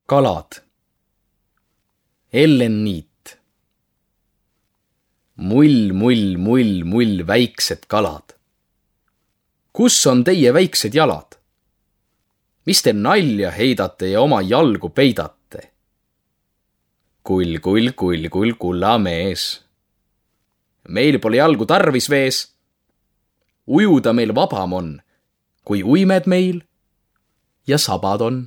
kalad. Ellen Niit. Mull, mull, mull, mull, väiksed kalad. Kus on teie väiksed jalad? Mis te nalja heidate ja oma jalgu peidate? Kull, kull, kull, kull, kullamees. Meil pole jalgu tarvis vees. Ujuda meil vabam on, kui uimed meil ja sabad on.